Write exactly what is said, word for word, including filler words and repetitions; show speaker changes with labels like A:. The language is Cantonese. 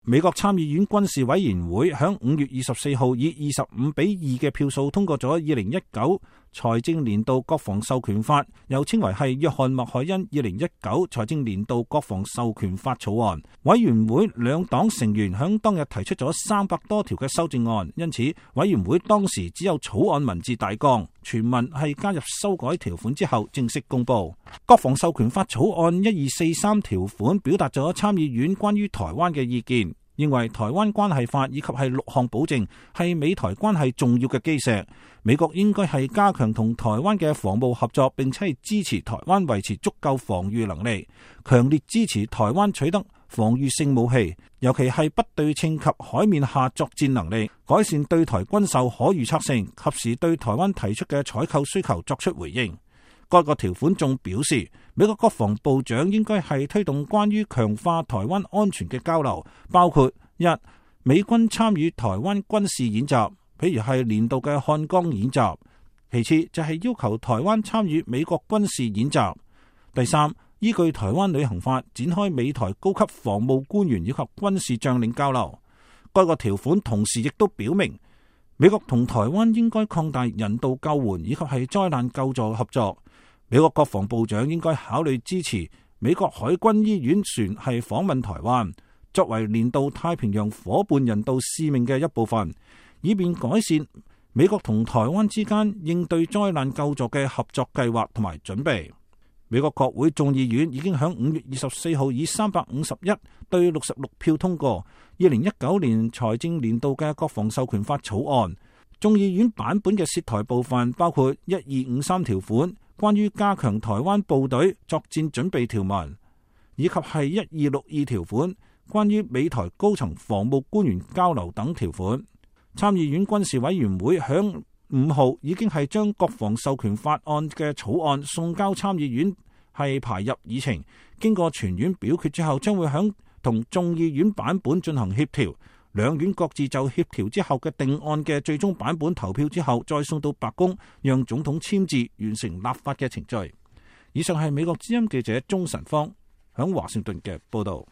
A: 美國參議院軍事委員會響五月二十四號以二十五比二嘅票數通過咗二零一九財政年度國防授權法，又稱為係約翰麥凱恩二零一九財政年度國防授權法草案。委員會兩黨成員響當日提出咗三百多條嘅修正案，因此委員會當時只有草案文字大綱，全文係加入修改條款之後正式公布。國防授權法草案一二四三條款表達咗參議院關於台灣嘅意見，認為台灣關係法以及係六項保證係美台關係重要嘅基石。美國應該係加強同台灣嘅防務合作，並且係支持台灣維持足夠防禦能力，強烈支持台灣取得防禦性武器，尤其係不對稱及海面下作戰能力，改善對台軍售可預測性，及時對台灣提出嘅採購需求作出回應。該個條款仲表示，美國國防部長應該係推動關於強化台灣安全嘅交流，包括一、美軍參與台灣軍事演習，譬如係年度嘅漢江演習；其次就係要求台灣參與美國軍事演習；第三，依據台灣旅行法展開美台高級防務官員以及軍事將領交流。該個條款同時亦都表明，美國同台灣應該擴大人道救援以及係災難救助合作。美國國防部長應該考慮支持美國海軍醫院船係訪問台灣，作為年度太平洋夥伴人道使命嘅一部分，以便改善美國同台灣之間應對災難救助嘅合作計劃同埋準備。美國國會眾議院已經喺五月二十四號以三百五十一對六十六票通過二零一九年財政年度嘅國防授權法草案。眾議院版本嘅涉台部分包括一二五三條款，關於加強台灣部隊作戰準備條文，以及係一二六二條款，關於美台高層防務官員交流等條款。參議院軍事委員會響五號已經係將國防授權法案嘅草案送交參議院係排入議程，經過全院表決之後，將會響同眾議院版本進行協調。兩院各自就協調之後嘅定案嘅最終版本投票之後，再送到白宮，讓總統簽字完成立法嘅程序。以上係美國之音記者鍾晨芳響華盛頓嘅報道。